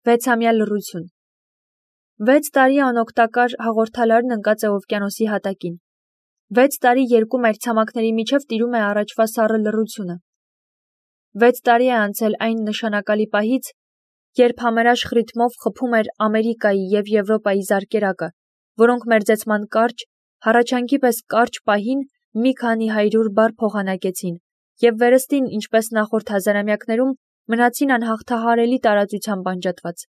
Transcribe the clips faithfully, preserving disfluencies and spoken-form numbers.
Վեցամյա լռություն։ Վեց տարի անօգտակար հաղորդալարն ընկած է օվկիանոսի հատակին։ Վեց տարի երկու մայրցամաքների միջև տիրում է առաջվա սառը լռությունը։ Վեց տարի է անցել այն նշանակալի պահից, երբ համերաշխ ռիթմով խփում էր Ամերիկայի և Եվրոպայի զարկերակը, որոնք մերձեցման կարճ, հառաչանքի պես կարճ պահին մի քանի հայրուր բառ փոխանակեցին և վերստին, ինչպես նախորդ հազարամյակներում, մնացին անհաղթահարելի տարածությամբ անջատված։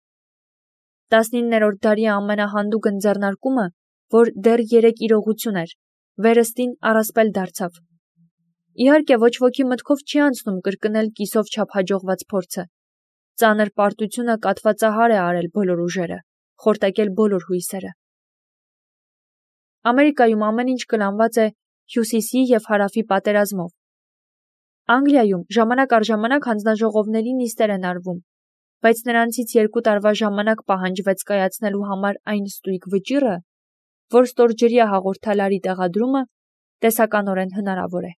Տասնիններորդ դարի ամենահանդուգն ձեռնարկումը, որ դեռ երեք իրողություն էր, վերստին առասպել դարձավ։ Իհարկե, ոչ ոքի մտքով չի անցնում կրկնել կիսով չափ հաջողված փորձը։ Ծանր պարտությունը կաթվածահար է արել բոլոր ուժերը, խորտակել բոլոր հույսերը։ Ամերիկայում ամեն ինչ կլանված է հյուսիսի և հարավի պատերազմով։ Անգլիայում ժամանակ առ ժամանակ հանձնաժողովների նիստեր են արվում, բայց նրանցից երկու տարվա ժամանակ պահանջվեց կայացնելու համար այն ստույգ վճիռը, որ ստորջրյա հաղորդալարի տեղադրումը տեսականորեն հնարավոր է։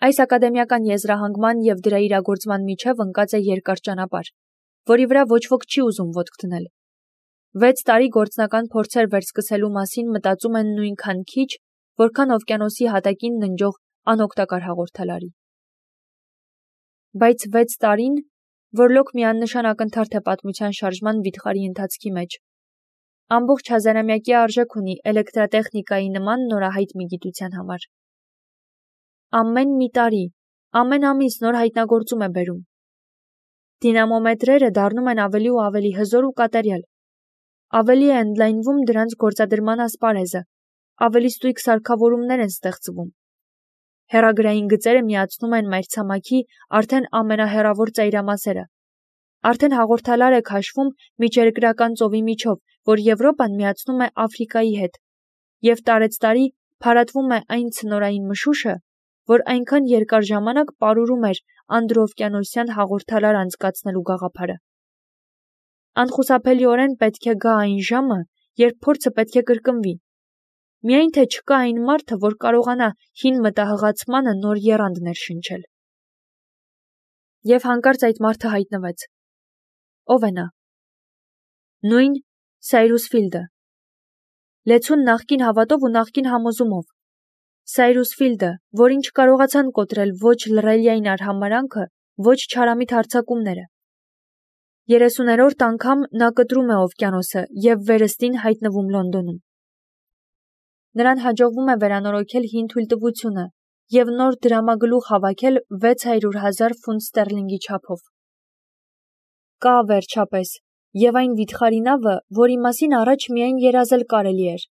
Այս ակադեմիական եզրահանգման և դրա իրագործման միջև ընկած է երկար ճանապարհ, որի վրա ոչ ոք չի ուզում ոտք դնել։ Վեց տարի գործնական փորձեր վերսկսելու մասին մտածում են նույնքան քիչ, որքան օվկիանոսի հատակին ննջող անօգտակար հաղորդալարի։ Բայց վեց տարին, որլոք միանշան ակնթարթ է պատմության շարժման վիթխարի ընթացքի մեջ, ամբողջ հազարամյակի արժեք ունի էլեկտրատեխնիկայի նման նորահայտ մի գիտության համար։ Ամեն մի տարի, ամեն ամիս նոր հայտնագործում է բերում։ Դինամոմետրերը դառնում են ավելի ու ավելի հզոր ու կատարյալ։ Ավելի է ընդլայնվում դրանց գործադրման ասպարեզը, ավելի ստույգ սարքավորումներ են ստեղծվում։ Հեռագրային գծերը միացնում են մայրցամաքի արդեն ամենահեռավոր ծայրամասերը։ Արդեն հաղորդալար է քաշվում միջերկրական ծովի միջով, որ Եվրոպան միացնում է Աֆրիկայի հետ, և տարեցտարի փարատվում է այն ցնորային մշուշը, որ այնքան երկար ժամանակ պարուրում էր անդրօվկիանոսյան հաղորդալար անցկացնելու գաղափարը։ Անխուսափելիորեն պետք է գա այն ժամը, երբ փորձը պետք է կրկնվի։ Միայն թե չկա այն մարդը, որ կարողանա հին մտահղացմանը նոր եռանդ ներշնչել։ Եվ հանկարծ այդ մարդը հայտնվեց։ Ո՞վ է նա։ Նույն Սայրուս Ֆիլդը։ Լեցուն նախկին հավատով ու նախկին համոզումով։ Սայրուս Ֆիլդը, որին չկարողացան կոտրել ոչ լռելիային արհամարհանքը, ոչ չարամիտ հարձակումները։ Երեսուներորդ անգամ նա կտրում է օվկիանոսը և վերստին հայտնվում Լոնդոնում։ Նրան հաջողվում է վերանորոգել հին թույլտվությունը և նոր դրամագլուխ հավաքել վեց հարյուր հազար ֆունտ ստերլինգի չափով։ Կա, վերջապես, և այն վիթխարի նավը, որի մասին առաջ միայն երազել կարելի էր։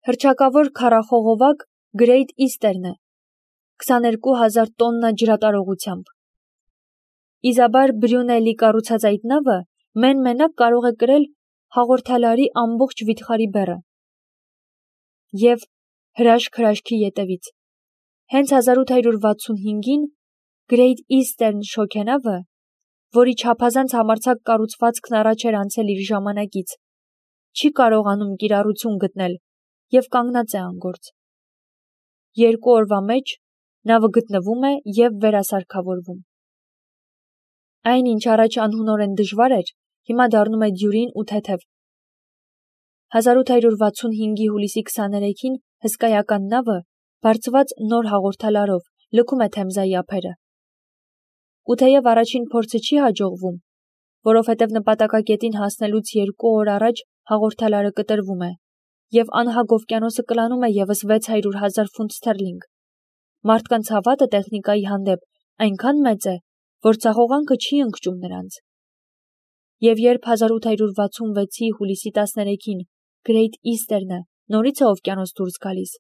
Հռչակավոր քառախողովակ Great Eastern է, քսաներկու հազար տոննա ջրատարողությամբ։ Իզաբար Բրյունելի կառուցած այդ նավը մեն-մենակ կարող է կրել հաղորդալարի ամբողջ վիթխարի բեռը։ Եվ հրաշք հրաշքի ետևից։ Հենց հազար ութ հարյուր վաթսունհինգին Great Eastern շոգենավը, որի չափազանց համարձակ կառուցվածքն առաջ էր անցել իր ժամանակից, չի կարողանում կիրառություն գտնել և կանգնած է անգործ։ Երկու օրվա մեջ նավը գտնվում է և վերասարքավորվում։ Այն, ինչ առաջ անհունորեն դժվար էր, հիմա դառնում է դյուրին ու թեթև։ հազար ութ հարյուր վաթսունհինգի հուլիսի քսաներեքին հսկայական նավը, բարձված նոր հաղորդալարով, լքում է Թեմզայի ափերը։ Ու թեև առաջին փորձը չի հաջողվում, որովհետև նպատակակետին հասնելուց երկու օր առաջ հաղորդալարը կտրվում է, և անհագ օվկիանոսը կլանում է ևս վեց հարյուր հազար ֆունտ ստերլինգ։ Մարդկանց հավատը տեխնիկայի հանդեպ այնքան մեծ է, որ ցախողանքը չի ընկճում նրանց։ Եվ երբ հազար ութ հարյուր վաթսունվեցի հուլիսի տասներեքին Great Eastern-ը նորից է օվկիանոս դուրս գալիս,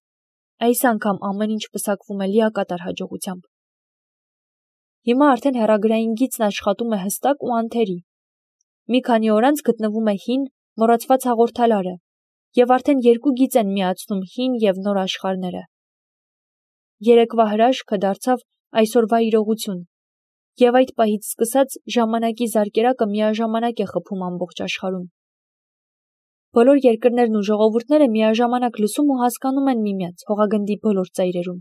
այս անգամ ամեն ինչ պսակվում է լիակատար հաջողությամբ։ Հիմա արդեն հեռագրային գիծն աշխատում է հստակ ու անթերի։ Մի քանի օր անց գտնվում է հին, մոռացված հաղորդալարը, և արդեն երկու գիծ են միացնում հին և նոր աշխարհները։ Երեկվա հրաշքը դարձավ այսօրվա իրողություն, և այդ պահից սկսած ժամանակի զարկերակը միաժամանակ է խփում ամբողջ աշխարհում։ Բոլոր երկրներն ու ժողովուրդները միաժամանակ լսում ու հասկանում են միմյանց հողագնդի բոլոր ծայրերում։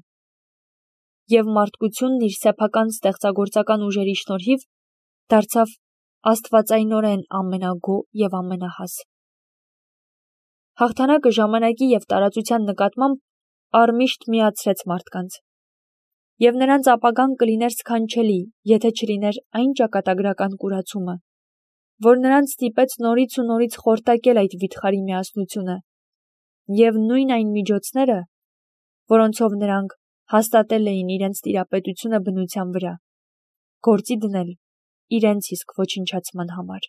Եվ մարդկությունն իր սեփական ստեղծագործական ուժերի շնորհիվ դարձավ աստվածայնորեն ամենագոհ և ամենահաս։ Հաղթանակը ժամանակի և տարածության նկատմամբ առմիշտ միացրեց մարդկանց, և նրանց ապագան կլիներ սքանչելի, եթե չլիներ այն ճակատագրական կուրացումը, որ նրանց ստիպեց նորից ու նորից խորտակել այդ վիթխարի միասնությունը, և նույն այն միջոցները, որոնցով նրանք հաստատել էին իրենց տիրապետությունը բնության վրա, գործի դնել իրենց իսկ ոչնչացման համար։